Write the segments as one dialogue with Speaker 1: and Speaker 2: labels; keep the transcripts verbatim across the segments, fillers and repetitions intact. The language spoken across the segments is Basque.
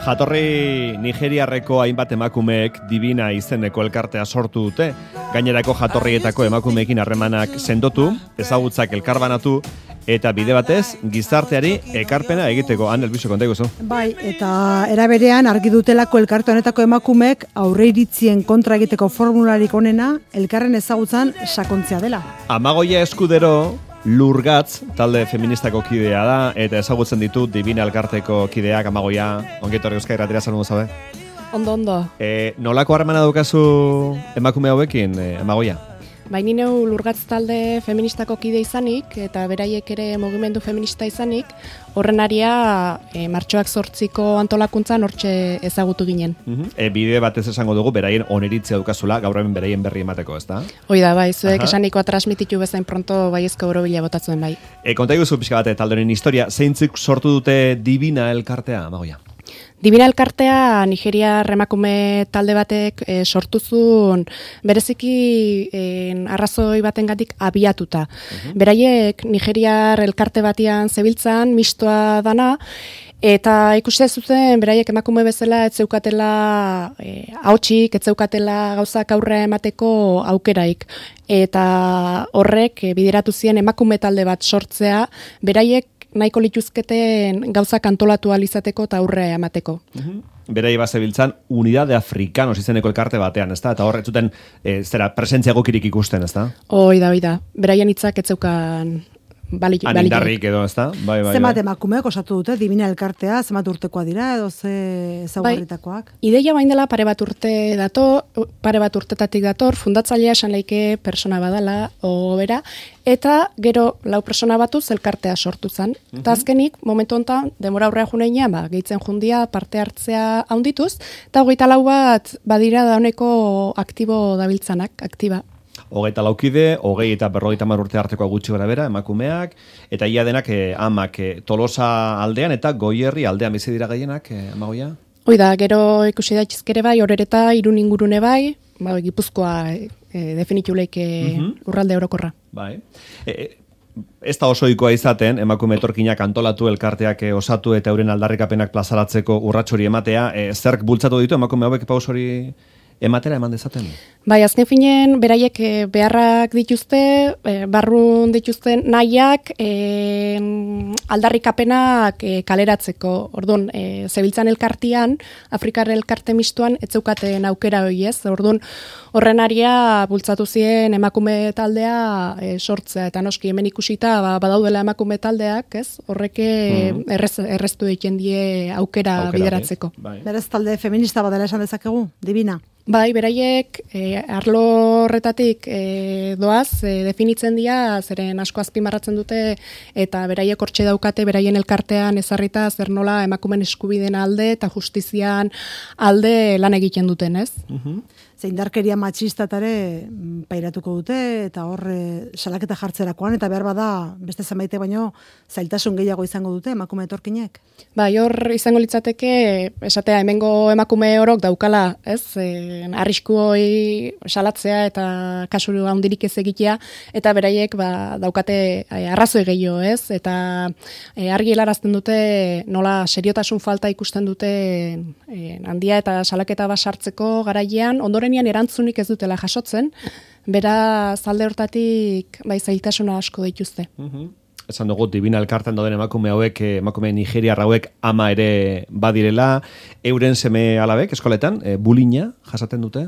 Speaker 1: Jatorri nigeriarreko hainbat emakumeek Divina izeneko elkartea sortu dute. Gainerako jatorrietako emakumeekin harremanak sendotu, ezagutzak elkarbanatu, eta bide batez gizarteari ekarpena egiteko. Han elbizo konta iguzu.
Speaker 2: Bai, eta eraberean argi dutelako elkarte honetako emakumeek aurreiritzien kontra egiteko formularik onena elkarren ezagutzan sakontzea dela.
Speaker 1: Amagoia Eskudero Lurgatz talde feministako kidea da, eta ezagutzen ditu Divina elkarteko kideak. Amagoia, ongetorri Euskal Irratira salmo zabe.
Speaker 3: Ondo, ondo.
Speaker 1: E, nolako harremana daukazu emakume hauekin, e, Amagoia?
Speaker 3: Baini neu Lurgatz talde feministako kide izanik, eta beraiek ere mugimendu feminista izanik, horren aria e, martxoak zortziko antolakuntzan hortxe ezagutu ginen.
Speaker 1: Uh-huh. E, bide batez esango dugu, beraien oneritzea dukazula, gaur hemen beraien berri emateko, ezta?
Speaker 3: Hoi da, bai, zuek esanikoa transmititu bezain pronto baiezko borobila botatzen bai.
Speaker 1: E, konta iguzu pixka bate talde honen historia, zeintzuk sortu dute Divina elkartea, Amagoia?
Speaker 3: Divina elkartea Nigeria emakume talde batek e, sortuzun bereziki e, arrazoi batengatik abiatuta. Uh-huh. Beraiek Nigeriar elkarte batean zebiltzan, mistoa dana, eta ikuste zuten beraiek emakume bezala ez zeukatela e, ahotsik, ez zeukatela gauzak aurre emateko aukeraik. Eta horrek e, bideratu zien emakume talde bat sortzea, beraiek nahiko lituzketen gauzak antolatu alizateko eta aurre emateko.
Speaker 1: Uh-huh. Berai bazebiltzan Unidade Afrikanos izeneko elkarte batean, ezta? Eta horre zuten e, zera presentzia gokirik ikusten, ezta?
Speaker 3: Hoi da, hoi da. Beraien hitzak ez zeukan balik.
Speaker 1: Anindarrik edo, ezta? Bai, bai,
Speaker 2: zemat
Speaker 1: bai.
Speaker 2: emakumeek osatu dute Divina elkartea, zemat urtekoa dira edo ze ezaugarritakoak?
Speaker 3: Bai, ideia bain dela pare bat urte dator, pare bat urtetatik dator, fundatzailea esan leike persona badala, o bera, eta gero lau persona batuz elkartea sortu zen. Eta uh-huh. azkenik, momentu honetan, demora aurrea juneinean, ba, gehitzen jundia parte hartzea haundituz, eta hogeita lau bat badira dauneko aktibo dabiltzanak, aktiba.
Speaker 1: Hogeita laukide, hogei eta berrogeita hamar urte artekoa gutxi gara bera, emakumeak, eta ia denak eh, amak eh, Tolosa aldean eta Goierri aldean bizi dira gehienak, eh, Amagoia?
Speaker 3: Hoi da, gero ikusi daitezkere bai, horreta irun ingurune bai, ba, Gipuzkoa e, definituleik uh-huh. urralde orokorra.
Speaker 1: Bai. E, ez da osoikoa izaten, emakume etorkinak antolatu elkarteak e, osatu eta euren aldarrikapenak plazaratzeko urratsori ematea, e, zerk bultzatu ditu emakume hauek pausori ematera eman dezaten?
Speaker 3: Bai, azken finen, beraiek e, beharrak dituzte, e, barrun dituzten nahiak, e, aldarrikapenak e, kaleratzeko. Orduan, e, zebiltzan elkartian, Afrikar elkarte mistuan, ez zeukaten aukera hori ez. Orduan, horren aria bultzatu ziren emakume taldea e, sortzea. Eta noski, hemen ikusita, ba, badaudela emakume taldeak, ez? Horreke mm. errez, erreztu egiten die aukera, aukera bideratzeko.
Speaker 1: Bai.
Speaker 2: Berez talde feminista badela esan dezakegu, Divina?
Speaker 3: Bai, beraiek e, arlo horretatik e, doaz, e, definitzen dira, zeren asko azpimarratzen dute, eta beraiek hortxe daukate, beraien elkartean ezarrita zer nola emakumen eskubideen alde eta justizian alde lan egiten duten, ez?
Speaker 1: Uh-huh.
Speaker 2: Ze indarkeria matxistatare pairatuko dute, eta hor e, salaketa jartzerakoan, eta behar bada beste zenbaite baino zailtasun gehiago izango dute emakume etorkinek.
Speaker 3: Bai, hor izango litzateke, esatea hemengo emakume orok daukala, ez? E, arrisku hori salatzea eta kasuru handirik ez egitea, eta beraiek ba, daukate e, arrazoi gehiago, ez? Eta e, argi helarazten dute nola seriotasun falta ikusten dute e, handia eta salaketa basartzeko garailean, ondorenian erantzunik ez dutela jasotzen, bera zalde hortatik bai zailtasuna asko dituzte.
Speaker 1: Uh-huh. Esan dugu, Divina elkartan dauden emakume hauek, emakume nigeriar hauek ama ere badirela, euren seme alabek, eskoletan, e, bulina jasaten dute?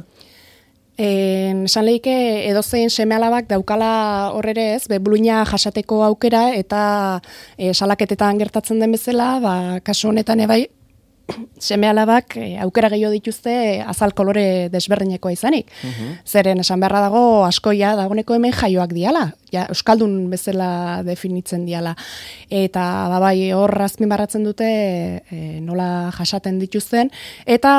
Speaker 3: En, esan lehike edozein seme alabak daukala horrere ez, be, bulina jasateko aukera, eta e, salaketetan gertatzen den bezala, ba, kasu honetan ebai, seme alabak e, aukera gehiago dituzte e, azal kolore desberdinekoa izanik. Uh-huh. Zeren esan beharra dago askoia dagoneko hemen jaioak diala, ja, euskaldun bezala definitzen diala. Eta babai hor azpimarratzen dute e, nola jasaten dituzten, eta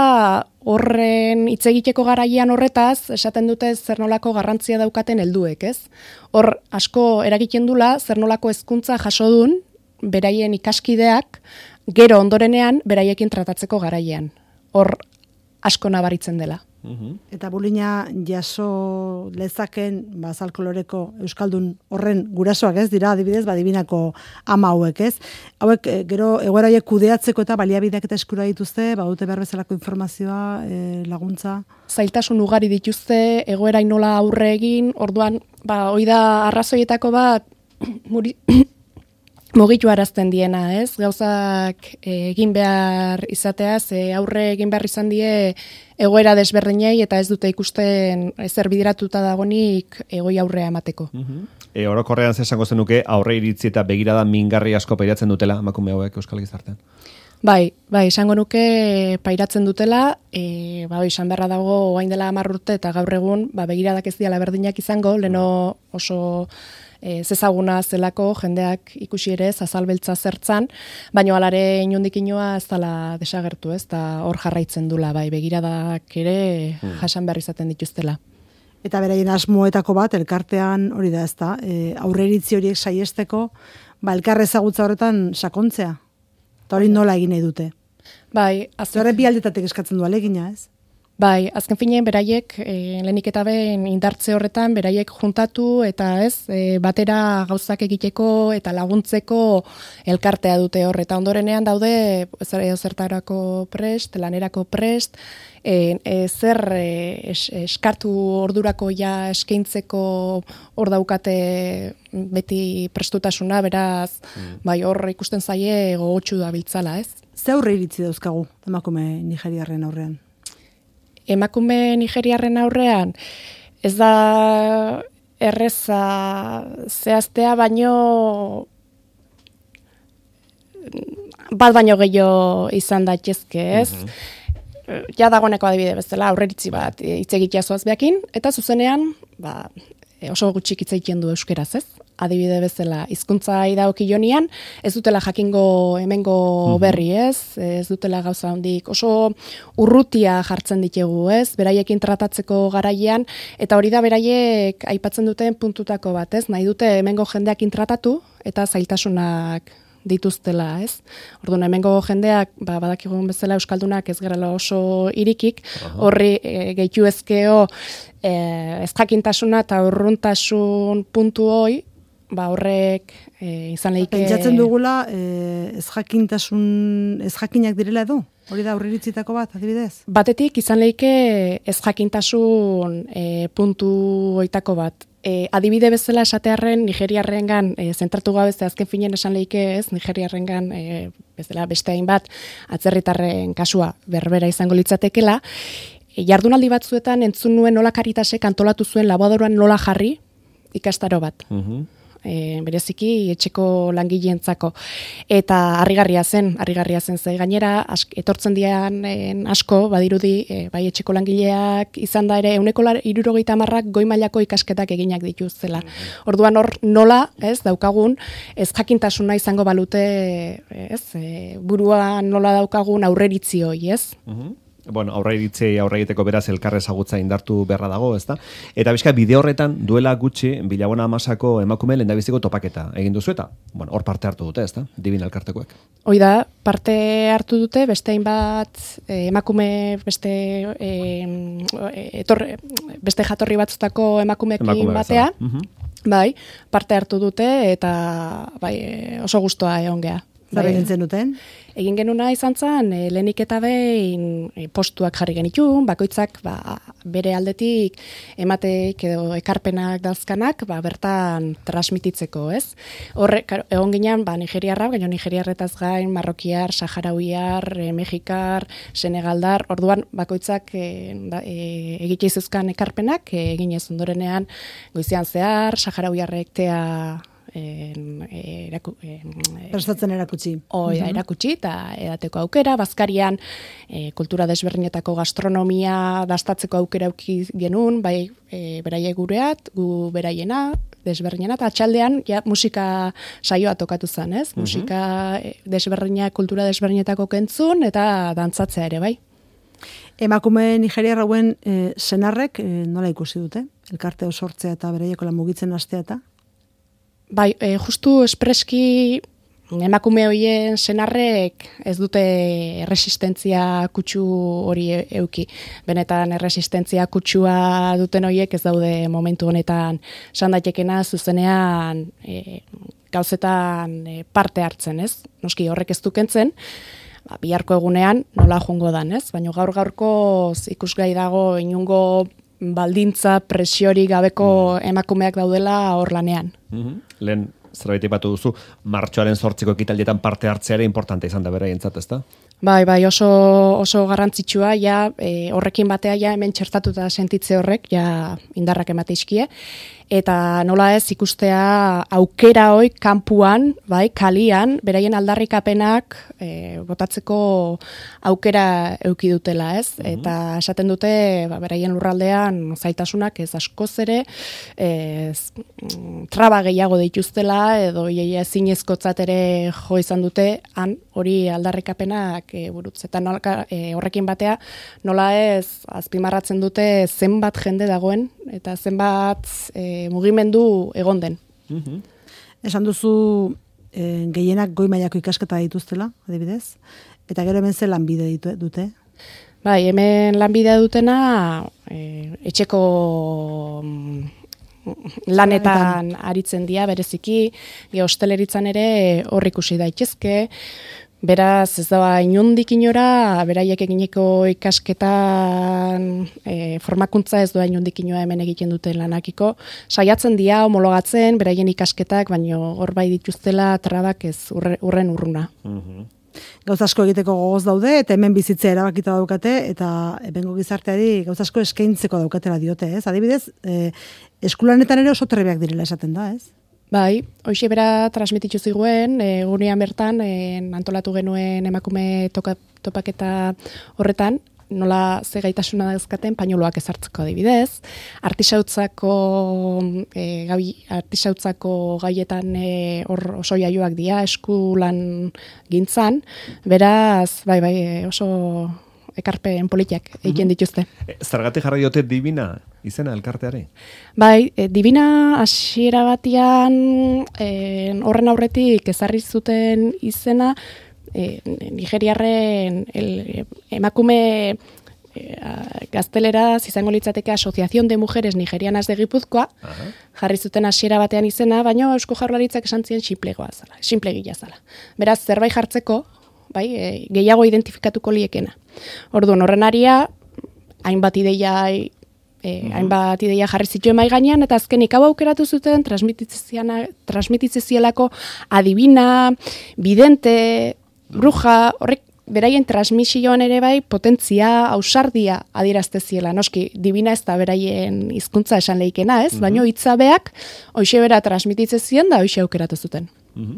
Speaker 3: horren hitz egiteko garaian horretaz, esaten dute zer nolako garrantzia daukaten helduek, ez? Hor asko eragiten dula zer nolako hezkuntza jaso dun beraien ikaskideak, gero ondorenean beraiekin tratatzeko garaian. Hor asko nabaritzen dela.
Speaker 2: Eta bulina jaso lezaken, ba, azal koloreko euskaldun horren gurasoak ez dira, adibidez, ba, adibinako ama hauek ez. Hauek, e, gero, egoera hauek kudeatzeko eta baliabideak eta eskura dituzte, ba, dute behar bezalako informazioa, e, laguntza.
Speaker 3: Zailtasun ugari dituzte, egoera nola aurre egin, orduan, ba, hoi da arrazoietako bat, muri... mugitu arazten diena, ez? Gauzak egin behar izateaz, e, aurre egin behar izan die egoera desberdinei eta ez dute ikusten ezer bideratuta dagonik egoi aurrea emateko.
Speaker 1: Uh-huh. E, orokorrean zesango zenuke aurre iritzi eta begirada mingarri asko pairatzen dutela emakume hauek euskal gizartean.
Speaker 3: Bai, bai, esango nuke pairatzen dutela, e, ba, izan beharra dago orain dela hamar urte eta gaur egun, ba, begiradak ez diala berdinak izango, leno oso e, zezaguna zelako jendeak ikusi ere azalbeltza zertzan, baina alare inundik inoa ez dela desagertu, ez, eta hor jarraitzen dula, bai, begiradak ere jasan behar izaten dituztela.
Speaker 2: Eta beraien asmoetako bat, elkartean hori da, ez da, e, aurreiritzi horiek saiesteko, ba, elkar ezagutza horretan sakontzea. Eta hori nola egin nahi dute.
Speaker 3: Bai, azken...
Speaker 2: Horre bi aldetatik eskatzen du alegina, ez?
Speaker 3: Bai, azken finean beraiek, e, lehenik eta behin indartze horretan, beraiek juntatu eta ez, e, batera gauzak egiteko eta laguntzeko elkartea dute hor. Eta ondorenean daude, zertarako prest, lanerako prest, e, e, zer e, es, eskartu ordurako ja eskaintzeko hor daukate beti prestutasuna, beraz, mm. bai, hor ikusten zaie gogotsu da biltzala, ez?
Speaker 2: Ze aurre iritzi dauzkagu emakume nigeriarren aurrean?
Speaker 3: Emakume nigeriarren aurrean, ez da erreza zehaztea, baino bat baino gehiago izan daitezke, ez? Uh-huh. Ja dagoeneko adibide bezala aurreritzi bat hitz egitea zoazbeakin, eta zuzenean, ba, oso gutxik hitz egiten du euskeraz, ez? Adibide bezala, hizkuntza idagokionean, ez dutela jakingo hemengo berri, ez? Ez dutela gauza hondik, oso urrutia jartzen ditugu, ez? Beraiekin tratatzeko garaian, eta hori da beraiek aipatzen duten puntutako bat, ez? Nahi dute hemengo jendeakin tratatu, eta zailtasunak dituztela, ez? Orduan, hemengo jendeak, ba, badakigun bezala euskaldunak ez gerala oso irikik, horri e, gehitu ezkeo e, ez jakintasuna eta urruntasun puntu hoi, ba horrek e, izan lehike...
Speaker 2: Pentsatzen dugula e, ez jakintasun, ez jakinak direla edo? Hori da aurriritzitako bat, adibidez?
Speaker 3: Batetik izan lehike ez jakintasun e, puntu oitako bat. E, adibide bezala esatearren nigeriarrengan e, zentratu gabe ez azken finen esan lehike ez, nigeriarrengan e, bezala beste hainbat atzerritarren kasua berbera izango litzatekela. E, jardunaldi batzuetan entzun nuen nola Karitasek antolatu zuen laboradoruan nola jarri ikastaro bat. Uh-huh. E, bereziki etxeko langileentzako eta harrigarria zen, harrigarria zen ze gainera ask, etortzen dian en, asko badirudi e, bai etxeko langileak izan da ere ehuneko hirurogeita hamarrak goi mailako ikasketak eginak dituztela. Orduan hor nola, ez, daukagun ez jakintasuna izango balute, ez, e, buruan nola daukagun aurreritzi hori, ez?
Speaker 1: Uh-huh. Bueno, aurre iritzei aurre egiteko beraz elkar ezagutza indartu beharra dago, ezta? Eta bizka bide horretan duela gutxi Bilabona Amasako emakume lehendabiziko topaketa egin duzu eta, bueno, hor parte hartu dute, ezta? Divina elkartekoek.
Speaker 3: Hoi da, parte hartu dute beste hainbat eh, emakume beste eh, etorre, beste jatorri batzutako emakumeekin emakume batea. Uh-huh. Bai, parte hartu dute eta bai, oso gustoa egon gea.
Speaker 2: Zer egin zen duten?
Speaker 3: Egin genuna izan zen, e, lehenik eta behin e, postuak jarri genitun, bakoitzak ba, bere aldetik emateik edo ekarpenak dauzkanak ba, bertan transmititzeko, ez? Horre, egon ginean, ba, nigeriarra, gaino nigeriarretaz gain, marrokiar, saharauiar, e, mexikar, senegaldar, orduan bakoitzak e, da, e, egite izuzkan ekarpenak, e, eginez ondorenean goizean zehar, saharauiarrek tea En, eraku, en,
Speaker 2: prestatzen erakutsi.
Speaker 3: Oi, uh-huh. erakutsi eta edateko aukera, bazkarian e, kultura desberdinetako gastronomia dastatzeko aukera auki genuen, bai e, beraiek gureat, gu beraiena, desberdinena, eta atxaldean ja, musika saioa tokatu zen, ez? Uh-huh. Musika desberdinak, kultura desberdinetako kentzun eta dantzatzea ere, bai.
Speaker 2: Emakume nigeriarra hauen e, senarrek e, nola ikusi dute? Elkarte osortzea eta beraieko lan mugitzen hastea eta?
Speaker 3: Bai, e, justu espreski emakume horien senarrek ez dute erresistentzia kutsu hori euki. Benetan erresistentzia kutsua duten horiek ez daude momentu honetan esan daitekena zuzenean e, gauzetan e, parte hartzen, ez? Noski horrek ez dukentzen, ba, biharko egunean nola jongo dan, ez? Baina gaur gaurko ikusgai dago inungo baldintza presiori gabeko emakumeak daudela hor lanean.
Speaker 1: Mm-hmm. Lehen zerbait aipatu duzu, martxoaren zortziko ekitaldietan parte hartzea ere importante izan da beraientzat, ezta?
Speaker 3: Bai, bai, oso oso garrantzitsua ja e, horrekin batea ja hemen txertatuta sentitze horrek ja indarrak emate iskie eta nola ez ikustea aukera hoi kanpuan, bai, kalian beraien aldarrikapenak e, botatzeko aukera eduki dutela, ez? Mm-hmm. Eta esaten dute ba, beraien lurraldean zaitasunak ez askoz ere ez, traba gehiago dituztela edo iaia zinezkotzat ere jo izan dute han hori aldarrikapenak e, burutz. Eta nola, e, horrekin batea nola ez azpimarratzen dute zenbat jende dagoen eta zenbat e, mugimendu egon den.
Speaker 1: Mm-hmm.
Speaker 2: Esan duzu e, gehienak goi mailako ikasketa dituztela, adibidez, eta gero hemen ze lanbide ditu, dute?
Speaker 3: Bai, hemen lanbidea dutena e, etxeko lanetan aritzen dira bereziki, ge hosteleritzan ere hor ikusi daitezke. Beraz, ez da inundik inora, beraiek egineko ikasketan e, formakuntza ez doa inundik inora hemen egiten duten lanakiko. Saiatzen dira, homologatzen, beraien ikasketak, baino hor bai dituztela trabak ez urre, urren urruna.
Speaker 1: Mm-hmm.
Speaker 2: Gauz asko egiteko gogoz daude, eta hemen bizitzea erabakita daukate, eta ebengo gizarteari gauz asko eskaintzeko daukatela diote, ez? Adibidez, e, eskulanetan ere oso trebeak direla esaten da, ez?
Speaker 3: Bai, hoxe bera transmititu ziguen, egunean bertan, e, antolatu genuen emakume toka, topaketa horretan, nola ze gaitasuna dauzkaten pañuloak ezartzeko adibidez, artisautzako e, gai, artisautzako gaietan e, hor oso jaioak dira, eskulan gintzan, beraz, bai, bai, oso ekarpen politiak egiten dituzte.
Speaker 1: Zergatik jarri diote Divina izena elkarteari?
Speaker 3: Bai, e, Divina hasiera batean e, horren aurretik ezarri zuten izena e, Nigeriarren el, emakume e, gazteleraz izango litzateke Asociación de Mujeres Nigerianas de Gipuzkoa, Aha. jarri zuten hasiera batean izena, baina Eusko Jaurlaritzak esan zien sinplegoa zala, sinplegia zala. Beraz, zerbait jartzeko, bai, e, gehiago identifikatuko liekena. Orduan, horren aria, hainbat ideia, e, uh-huh. hainbat ideia jarri zituen mai gainean, eta azkenik hau aukeratu zuten transmititzezielako adibina, bidente, bruja, horrek beraien transmisioan ere bai potentzia, ausardia adierazteziela. Noski, Divina ez da beraien hizkuntza esan leikena, ez? Uh-huh. Baina hitzabeak hoxe bera transmititzezien da hoxe aukeratu zuten.
Speaker 2: Uh-huh.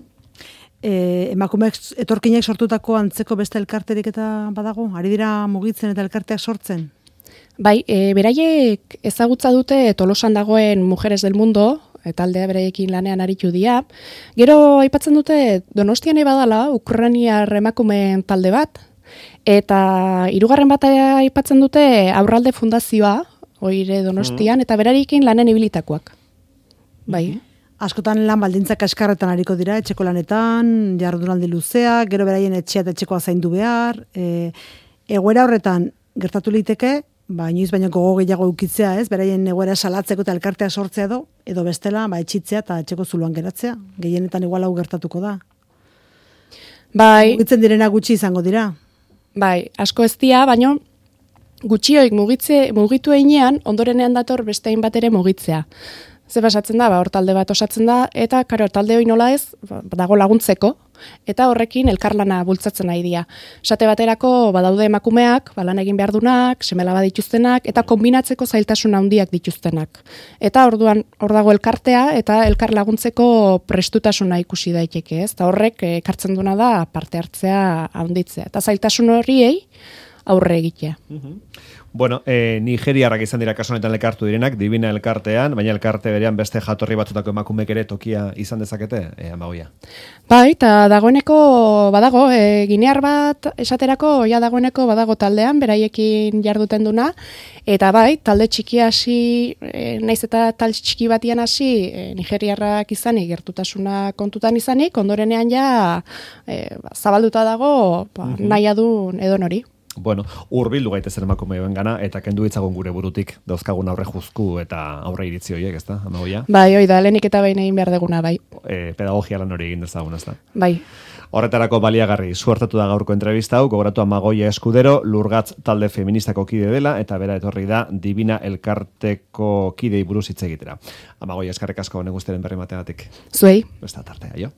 Speaker 2: E, emakumeak etorkinek sortutako antzeko beste elkarterik eta badago? Ari dira mugitzen eta elkarteak sortzen?
Speaker 3: Bai, e, beraiek ezagutza dute Tolosan dagoen Mujeres del Mundo, eta aldea beraiekin lanean aritu dira. Gero aipatzen dute Donostian badala Ukrainiar emakumeen talde bat, eta hirugarren bat aipatzen dute Aurralde Fundazioa, oire Donostian, mm. eta beraiekin lanen ibilitakoak. Bai.
Speaker 2: Mm-hmm. Askotan lan baldintzak kaskarretan ariko dira, etxeko lanetan, jardunaldi luzea, gero beraien etxea eta etxekoa zaindu behar. E, egoera horretan gertatu liteke, ba, inoiz baino gogo gehiago ukitzea, ez? Beraien egoera salatzeko eta elkartea sortzea edo, edo bestela, ba, etxitzea eta etxeko zuluan geratzea. Gehienetan igual hau gertatuko da.
Speaker 3: Bai.
Speaker 2: Mugitzen direna gutxi izango dira.
Speaker 3: Bai, asko ez dira, baino gutxioik mugitze, mugitu einean, ondorenean dator beste hainbat ere mugitzea. Ze pasatzen da, ba, hor talde bat osatzen da, eta karo, talde hori nola ez, ba, dago laguntzeko, eta horrekin elkarlana bultzatzen nahi dira. Esate baterako, badaude emakumeak, ba, lan egin behar dunak, semelaba dituztenak, eta kombinatzeko zailtasun handiak dituztenak. Eta orduan, hor dago elkartea, eta elkar laguntzeko prestutasuna ikusi daiteke, ez? Eta horrek, ekartzen duna da, parte hartzea handitzea. Eta zailtasun horiei, aurre egitea.
Speaker 1: Mhm. Bueno, eh, nigeriarrak izan dira kasu honetan elkartu direnak, Divina elkartean, baina elkarte berean beste jatorri batzutako emakumeek ere tokia izan dezakete, eh, Amagoia?
Speaker 3: Bai, eta dagoeneko badago, e, ginear bat esaterako, ja dagoeneko badago taldean, beraiekin jarduten duna, eta bai, talde txiki hasi, e, naiz eta talde txiki batian hasi, e, nigeriarrak izanik, gertutasuna kontutan izanik, ondorenean ja e, ba, zabalduta dago, ba, uh-huh. nahi adun edon hori.
Speaker 1: Bueno, hurbildu gaitezen emakumeoen gana, eta kendu ditzagun gure burutik, dauzkagun aurre juzku eta aurre iritzi horiek, ezta, Amagoia?
Speaker 3: Bai, hoi da, lehenik eta behin egin behar deguna, bai.
Speaker 1: E, pedagogia lan hori egin dezagun, ezta?
Speaker 3: Bai.
Speaker 1: Horretarako baliagarri, suertatu da gaurko entrevista hau, gogoratu Amagoia Eskudero, Lurgatz talde feministako kide dela, eta bera etorri da Divina elkarteko kidei buruz hitz egitera. Amagoia, eskerrik asko neguzteren berri mategatik.
Speaker 3: Zuei.
Speaker 1: Besta tartea, jo.